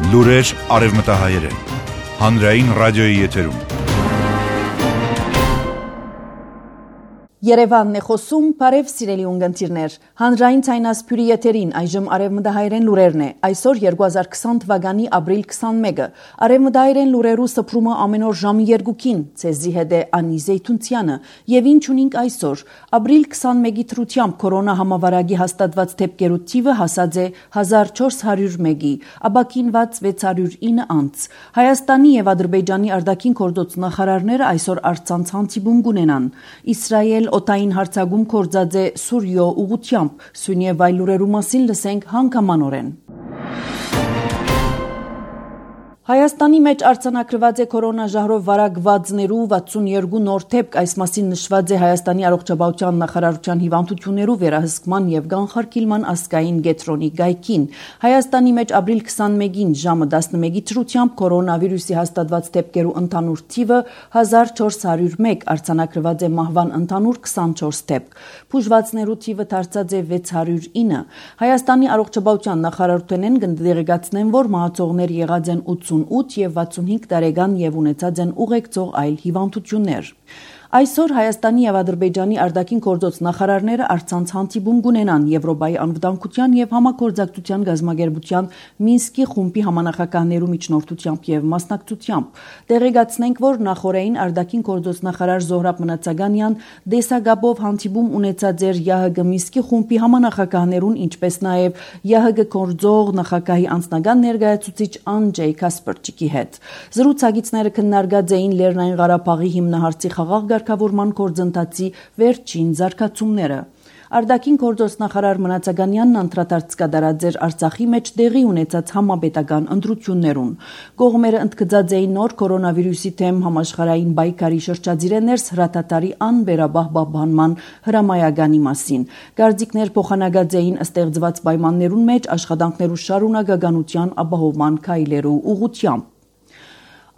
Լուրեր արևմտահայերեն, հանրային ռադիոյի եթերում։ Երևանն է խոսում, բարև սիրելի ունգընտիրներ, հանրային ցայնասփյուրի եթերին այժմ արևմտահայերեն լուրերն է, այսօր 2020 թվականի ապրիլ 21-ը, արևմտահայերեն լուրերու սփրումը ամեն օր ժամի 2-ին, ցեզի հետ է Անի Զեյթունցյանը, եւ ինչ ունենք այսօր, ապրիլ 21-ի թրությամբ կորոնա համավարակի հաստատված դեպքերու թիվը հասած է 1401-ի, ապաքինված 609 անց, Հայաստանի եւ Ադրբեջանի արտաքին գործոց նախարարները այսօր առցանց հանդիպում կունենան, Իսրայել օտային հարցագում կորձած է Սուրիո ուղությամբ, սույն եւ այլ լուրերու մասին լսենք հանգամանորեն։ Հայաստանի մեջ արձանագրված է կորոնաժահրով վարակվածներու 62 նոր դեպք, այս մասին նշված է Հայաստանի առողջապահության նախարարության հիվանդություններու վերահսկման եւ կանխարգելման ազգային կենտրոնի գայքին։ Հայաստանի մեջ ապրիլ 21-ին ժամը 11-ի թրությամբ կորոնավիրուսի հաստատված դեպքերու ընդհանուր թիվը 1401, արձանագրված է մահվան ընդհանուր 24 դեպք։ Բուժվածներու թիվը դարձած է 609։ Հայաստանի առողջապահության նախարարութենեն կդեղեկացնեն, որ մահացողներ եղած են 88 եւ 65 տարեկան եւ ունեցած են ուղեկցող այլ հիվանդություններ։ Այսօր Հայաստանի եւ Ադրբեջանի արտաքին գործոց նախարարները առցանց հանդիպում կունենան Եվրոպայի անվտանգության եւ համագործակցության գազագերբության Մինսկի խումբի համանախագահներու միջնորդությամբ եւ մասնակցությամբ։ Տեղեկացնենք, որ նախորդային արտաքին գործոց նախարար Զոհրաբ Մնացականյան դեսագաբով հանդիպում ունեցած էր ՀՀԳ Մինսկի խումբի համանախագահներուն, ինչպես նաեւ ՀՀԳ գործող նախագահի անձնական ներկայացուցիչ Անջեյ Կասպերչիկի հետ։ Զրուցակիցները քննարկած էին Լեռնային Ղարաբաղի հիմնահարցի խաղաղ ղեկավարման գործընթացի վերջին զարգացումները։ Արտաքին գործոց նախարար Մնացականյանն անդրադարձ կատարած էր Արցախի մեջ տեղի ունեցած համապետական ընտրություններուն։ Կողմերը ընդգծած էին նոր կորոնավիրուսի թեմ համաշխարհային պայքարի շրջադիրը ներս հրատատարի անվերաբահ պահպանման հրամայականի մասին։ Գարձիկներ փոխանակած էին ստեղծված պայմաններուն մեջ աշխատանքներու շարունակականության ապահովման քայլերու ուղղությամբ։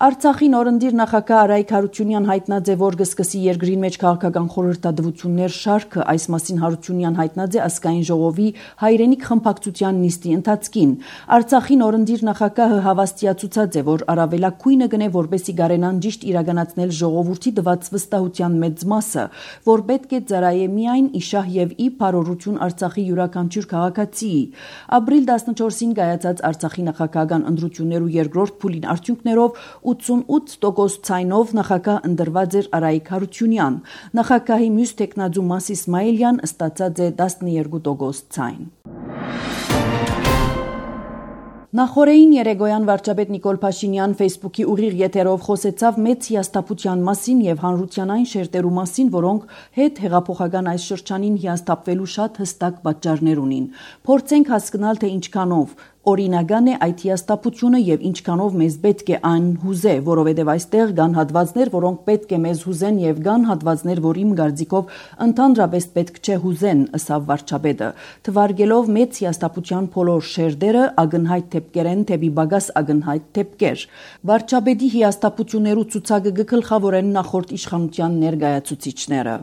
Արցախի նորընտիր նախագահ Արայիկ Հարությունյան հայտնած է, որ կսկսի երկրին մեջ քաղաքական խորհրդատվություններ շարքը, այս մասին Հարությունյան հայտնած է ազգային ժողովի հայրենիք խմբակցության նիստի ընթացքին։ Արցախի նորընտիր նախագահը հավաստիացուցած է, որ առավելակույնը գնե որպեսի գարենան ճիշտ իրականացնել ժողովրդի տված վստահության մեծ մասը, որ պետք է ծառայե միայն իշահ եւ ի բարօրություն Արցախի յուրաքանչյուր քաղաքացիի։ Ապրիլ 14-ին կայացած Արցախի նախագահական ընտրություններու երկրորդ փուլին արդյունքներով 88% ցայնով նախագահ ընտրված էր Արայիկ Հարությունյան։ Նախագահի մյուս տեխնազու Մաս Իսմայելյան ստացած է 12% ցայն։ Նախորդային երեգոյան վարչապետ Նիկոլ Փաշինյան Facebook-ի ուղիղ եթերով խոսեցավ մեծ հիասթափության մասին եւ հանրության այն շերտերու մասին, որոնք հետ հեղափոխական այս շրջանին հիասթափվելու շատ հստակ պատճառներ ունին։ Փորձենք հասկանալ, թե ինչքանով օրինական է այդ հիասթափությունը եւ ինչքանով մեզ պետք է այն հուզե, որովհետեւ այստեղ կան հատվածներ, որոնք պետք է մեզ հուզեն եւ կան հատվածներ, որ իմ կարծիքով ընդհանրապես պետք չէ հուզեն, ըսավ վարչապետը, թվարկելով մեծ հիասթափության բոլոր շերտերը ակնհայտ դեպքեր են, թեպի բագաս ակնհայտ դեպքեր։ Վարչապետի հիասթափություններու ցուցակը գլխավորեն նախորդ իշխանության ներկայացուցիչները։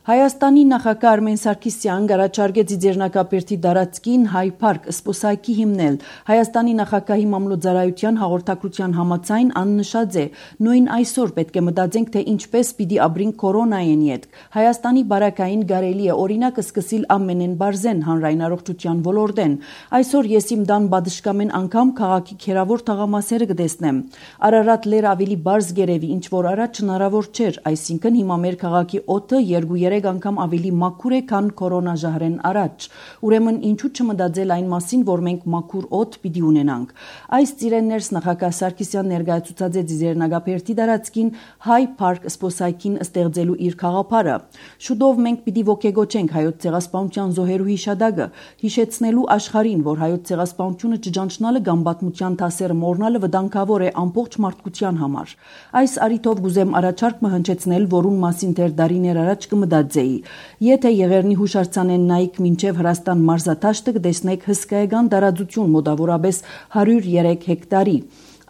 Հայաստանի նախագահ Արմեն Սարգսյան առաջարկեց Ձեռնարկաբերդի դարածքին Հայ Փարք սպոսայքի հիմնել։ Հայաստանի նախագահի մամլոյցարայության հաղորդակցության համաձայն աննշած է, նույն այսօր պետք է մտածենք, թե ինչպես պիտի ապրենք կորոնային յետ։ Հայաստանի բարակային գարելի է օրինակ սկսիլ ամենեն բարձեն հանրային առողջության ոլորտեն։ Այսօր ես իմ դան բադշկամեն անգամ քաղաքի քերավոր թաղամասերը կտեսնեմ։ Արարատ լեր ավելի բարձ գերեվի, ինչ որ առաջ հնարավոր չէր, այսինքն հիմա մեր քաղաքի օդը 2-3 անգամ ավելի մաքուր է, քան կորոնաժահրեն առաջ։ Ուրեմն ինչու չմտածել այն մասին, որ մենք մաքուր օդ պիտի ունենանք։ Այս ծիրեններս նախագահ Սարգսյան ներկայացուցած է Ձեռնարկաբերդի դարածքին Հայ Փարք սպոսայքին ստեղծելու իր խաղապարը։ Շուտով մենք պիտի ոգեգոչենք հայոց ցեղասպանության զոհերու հիշադակը, հիշեցնելու աշխարհին, որ հայոց ցեղասպանությունը ճճանչնալը կամ պատմության դասերը մոռնալը վտանգավոր է ամբողջ մարդկության համար։ Այս առիթով գուզեմ առաջարկ հնչեցնել, որուն մասին դեռ դարիներ առաջ կմտածեի։ Եթե Եղեռնի հուշարձանեն նայեք մինչև Հրաստան մարզադաշտը կտեսնեք հսկայական տարածություն մոտավորապես 103 հեկտարի։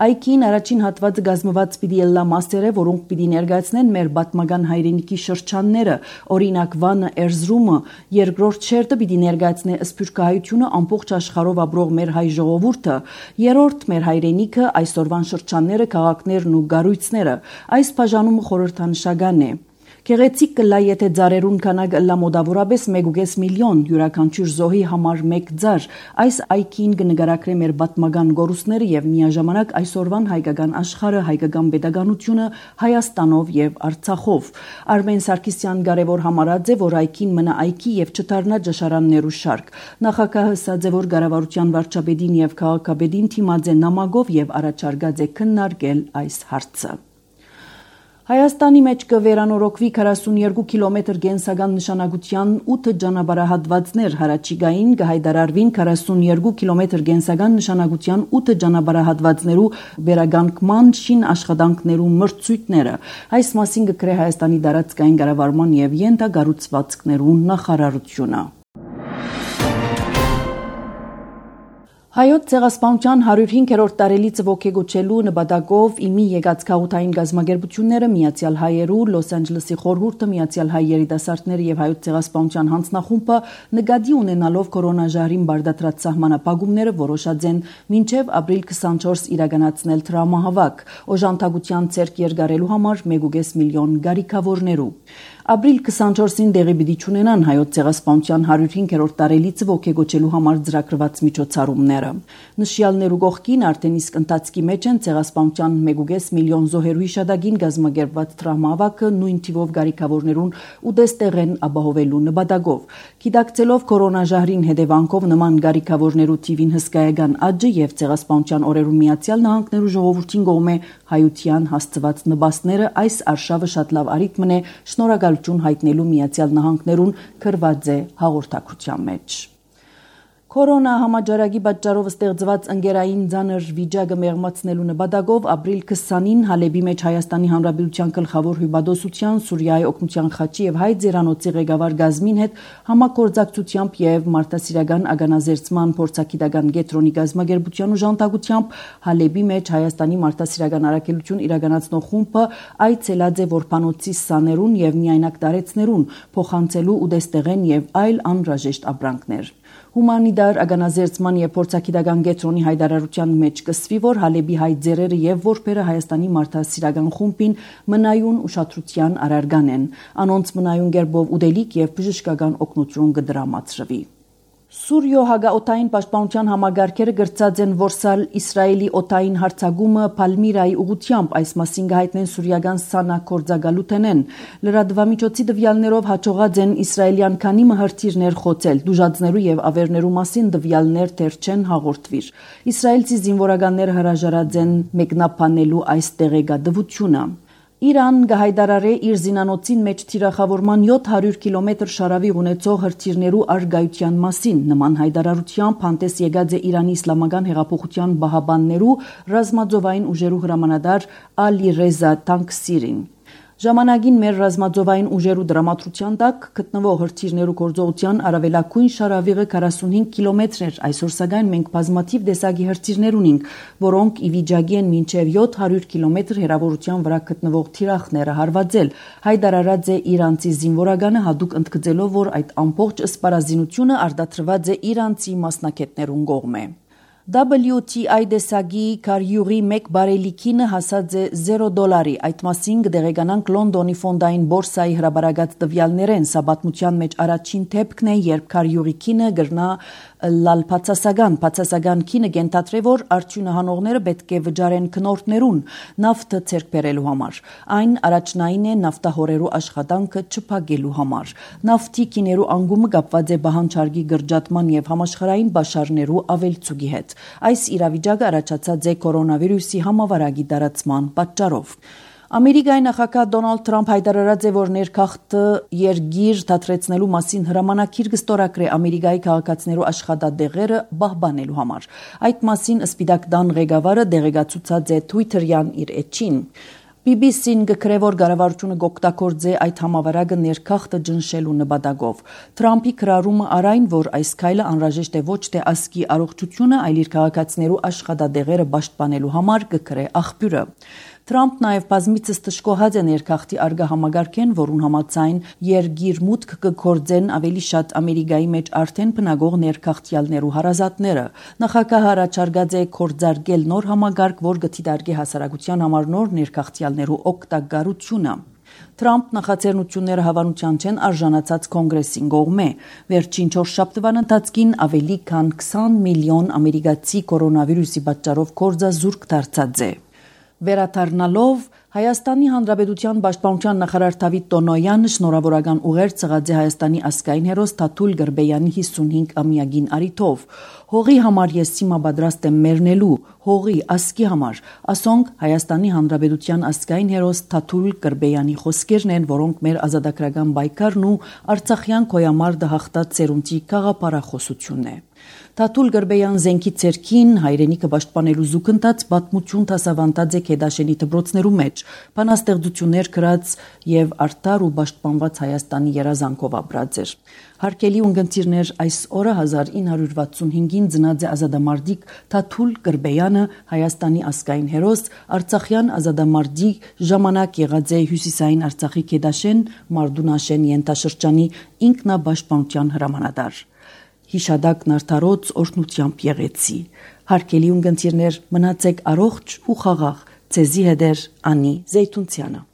Այքին առաջին հատվածը գազմված պիտի ելլա մասերը, որոնք պիտի ներկայացնեն մեր պատմական հայրենիքի շրջանները, օրինակ Վանը, Էրզրումը, երկրորդ շերտը պիտի ներկայացնե սփյուռքահայությունը, ամբողջ աշխարհով ապրող մեր հայ ժողովուրդը, երրորդ մեր հայրենիքը, այսօրվան շրջանները, քաղաքներն ու գառույցները։ Այս բաժանումը խորհրդանշական է։ Գեղեցիկ կլա, եթե ձարերուն քանակը լա մոտավորապես 1.5 միլիոն, յուրաքանչյուր զոհի համար 1 ձար։ Այս այքին կնկարագրե մեր պատմական գորուսները եւ միաժամանակ այսօրվան հայկական աշխարհը, հայկական pedagogiությունը Հայաստանով եւ Արցախով։ Արմեն Սարգսյան կարևոր համարած է, որ այքին մնա այքի եւ չդառնա ճաշարաններու շարք։ Նախագահը ասաց է, որ կառավարության վարչապետին եւ քաղաքապետին թիմած է նամակով եւ առաջարկած է քննարկել այս հարցը։ Հայաստանի մեջ կվերանորոգվի 42 կիլոմետր կենսական նշանակության 8 ճանապարհահատվածներ, հարաճիգային կհայտարարվին 42 կիլոմետր կենսական նշանակության 8 ճանապարհահատվածներու վերականգնման շին աշխատանքներու մրցույթները։ Այս մասին կգրե Հայաստանի դարածքային կառավարման եւ յենթակառուցվածքներու նախարարությունը։ Հայոց ցեղասպանության 105-րդ տարելիցը ողջագործելու նպատակով իմի եկած քաղաքային գազམ་ագերբությունները Միացյալ Հայերու, Լոս Անջելեսի խորհուրդը, Միացյալ Հայ երիտասարդների եւ Հայոց ցեղասպանության հանձնախումբը նկատի ունենալով կորոնաժահրին բարդացած սահմանապահումները որոշած են մինչեւ ապրիլ 24 իրականացնել դրամահավաք, օժանդակության ցերկ երկարելու համար 1.5 միլիոն գարիկավորներու։ Ապրիլ 24-ին դեղի պիտի ունենան Հայոց ցեղասպանության 105-րդ տարելիցը ողջագործելու համար ծրագրված միջոցառումները։ Նշյալներու կողքին արդեն իսկ ընթացքի մեջ են ցեղասպանության 1.5 միլիոն զոհերու հիշադակին գազམ་ագերբված դրամահավաքը նույն թիվով գարիկավորներուն ուտեստեղեն ապահովելու նպատակով։ Գիտակցելով կորոնաժահրին հետևանքով նման գարիկավորներու թիվին հսկայական աճը եւ ցեղասպանության օրերու Միացյալ Նահանգներու ժողովրդին կողմէ հայության հասցված նպաստները այս արշավը շատ լավ արիտմն է շնորհակալություն հայտնելու Միացյալ Նահանգներուն գրված է հաղորդակցության մեջ։ Կորոնա համաճարակի պատճառով ստեղծված ընկերային ցաներ վիճակը մեղմացնելու նպատակով ապրիլ 20-ին Հալեբի մեջ Հայաստանի Հանրապետության գլխավոր հյուպատոսության, Սուրիայի օգնության խաչի եւ Հայ ձերանոցի ղեկավար Գազմին հետ համագործակցությամբ եւ մարդասիրական ագանազերծման փորձագիտական կենտրոնի գազམ་ագերբության ուժանդակությամբ Հալեբի մեջ Հայաստանի մարդասիրական առաքելություն իրականացնող խումբը այցելած է որփանոցի սաներուն եւ միայնակ տարեցներուն փոխանցելու ուտեստեղեն եւ այլ անհրաժեշտ ապրանքներ։ Հումանիտար ագանազերծման եւ փորձագիտական կենտրոնի հայտարարության մեջ կսվի, որ Հալեբի հայ ձերերը եւ որբերը Հայաստանի մարդասիրական խումբին մնայուն ուշադրության արարգան են։ Անոնց մնայուն գերբով ուդելիք եւ բժշկական օգնություն կդրամացրվի։ Սուրիո հագաօթային պաշտպանության համագարկերը գրծած են որսալ Իսրայելի օթային հարձակումը Պալմիրայի ուղությամբ, այս մասին կհայտնեն սուրիական Սանա կորձագալութենեն։ Լրատվամիջոցի տվյալներով հաջողած են իսրայելյան քանի մհրթիռներ խոցել, դուժածներու եւ ավերներու մասին տվյալներ դեռ չեն հաղորդվիր։ Իսրայելցի զինվորականները հրաժարած են մեկնաբանելու այս տեղեկատվությունը։ Իրան կհայտարարե իր զինանոցին մեջ թիրախավորման 700 կիլոմետր շարավիղ ունեցող հրթիռներու արգայության մասին։ Նման հայտարարությամբ հանդես եկած է Իրանի իսլամական հեղափոխության բահաբաններու ռազմաձովային ուժերու հրամանատար Ալի Ռեզա Տանկսիրին։ Ժամանակին մեր ռազմաձովային ուժերու դրամատրության տակ գտնվող հրթիռներու գործողության առավելագույն շարավիղը 45 կիլոմետր էր, այսօր սակայն մենք բազմաթիվ տեսակի հրթիռներ ունենք, որոնք ի վիճակի են մինչև 700 կիլոմետր հեռավորության վրա գտնվող թիրախները հարվածել։ Հայտարարած է իրանցի զինվորականը հատուկ ընդգծելով, որ այդ ամբողջ սպառազինությունը արտադրված է իրանցի մասնակիցներուն կողմէ։ WTI դեսագի կարյուղի 1 բարելիքինը հասած է $0, այդ մասին կդեղեկանանք Լոնդոնի ֆոնդային բորսայի հրաբարակած տվյալներեն, սա պատմության մեջ առաջին դեպքն է, երբ կարյուղի քինը գրնա լալ բացասական քինը կենթադրե, որ արդյունահանողները պետք է վճարեն քնորդներուն նավթը ցերկ բերելու համար։ Այն առաջնային է նավթահորերու աշխատանքը չփակելու համար։ Նավթի քիներու անկումը կապված է բահանջարկի գրջատման եւ համաշխարհային բաշարներու ավելցուկի հետ։ Այս իրավիճակը առաջացած է կորոնավիրուսի համավարակի տարածման պատճառով։ Ամերիկայի նախագահ Դոնալդ Թրամփ հայտարարած է, որ ներքախտ երգիր դադրեցնելու մասին հրամանակիր կստորագրե Ամերիկայի քաղաքացիներու աշխատատեղերը պահպանելու համար։ Այդ մասին Սպիտակ տան ղեկավարը դեղեկացուցած է Twitter-յան իր էջին։ BBC-ն գկրե, որ կառավարությունը կօգտագործի այդ համավարակը ներքախտը ջնշելու նպատակով։ Թրամփի քրարումը արայն, որ այս քայլը անհրաժեշտ է ոչ թե ազգի առողջությունը, այլ իր քաղաքացիներու աշխատադեղերը պաշտպանելու համար, գկրե աղբյուրը։ Թրամփ նաև բազմիցս տշկոհած է ներքախտի արգա համագարկեն, որուն համաձայն երգիր մուտք կգործեն ավելի շատ Ամերիկայի մեջ արդեն բնագող ներքախտյալներու հարազատները։ Նախագահը առաջարկած է կորձարկել նոր համագարկ, որ կդիտարկի հասարակության համար նոր ներքախտյալներու օգտակարությունը։ Թրամփ նախաձեռնությունները հավանության չեն արժանացած կոնգրեսին կողմէ։ Վերջին 4 շաբթվան ընթացքին ավելի քան 20 միլիոն ամերիկացի կորոնավիրուսի պատճառով կորձազուրկ դարձած է։ Վերաթարնալով Հայաստանի Հանրապետության Պաշտպանության նախարար Դավիթ Տոնոյանը շնորհավորական ուղեր ցղած է Հայաստանի ազգային հերոս Թաթուլ Գրբեյանի 55-ամյակին արիթով։ Հողի համար ես հիմա պատրաստ եմ մեռնելու, հողի ազգի համար, ասոնք Հայաստանի Հանրապետության ազգային հերոս Թաթուլ Գրբեյանի խոսքերն են, որոնք մեր ազատագրական պայքարն ու Արցախյան գոյամարտը հաղթած ծերունցի գաղափարախոսությունն է։ Թաթուլ Գրբեյան զենքի ցերքին հայրենիքը պաշտպանելու զուգընթաց պատմություն դասավանդած է Քեդաշենի դպրոցներու մեջ, բանաստեղծություններ գրած եւ արդար ու պաշտպանված Հայաստանի երազանքով ապրած էր։ Հարկելի ունգընտիրներ, այս օրը 1965-ին ծնած է ազատամարտիկ Թաթուլ Գրբեյանը, Հայաստանի ազգային հերոս, Արցախյան ազատամարտիկ, ժամանակ եղած է Հյուսիսային Արցախի Քեդաշեն, Մարդունաշեն ենթաշրջանի ինքնապաշտպանության հրամանատար։ Հիշադակն արդարոց օրհնությամբ եղեցի։ Հարկելի ունգընտիրներ, մնացեք առողջ ու խաղաղ, ձեզի հետ էր Անի Զեյթունցյանը։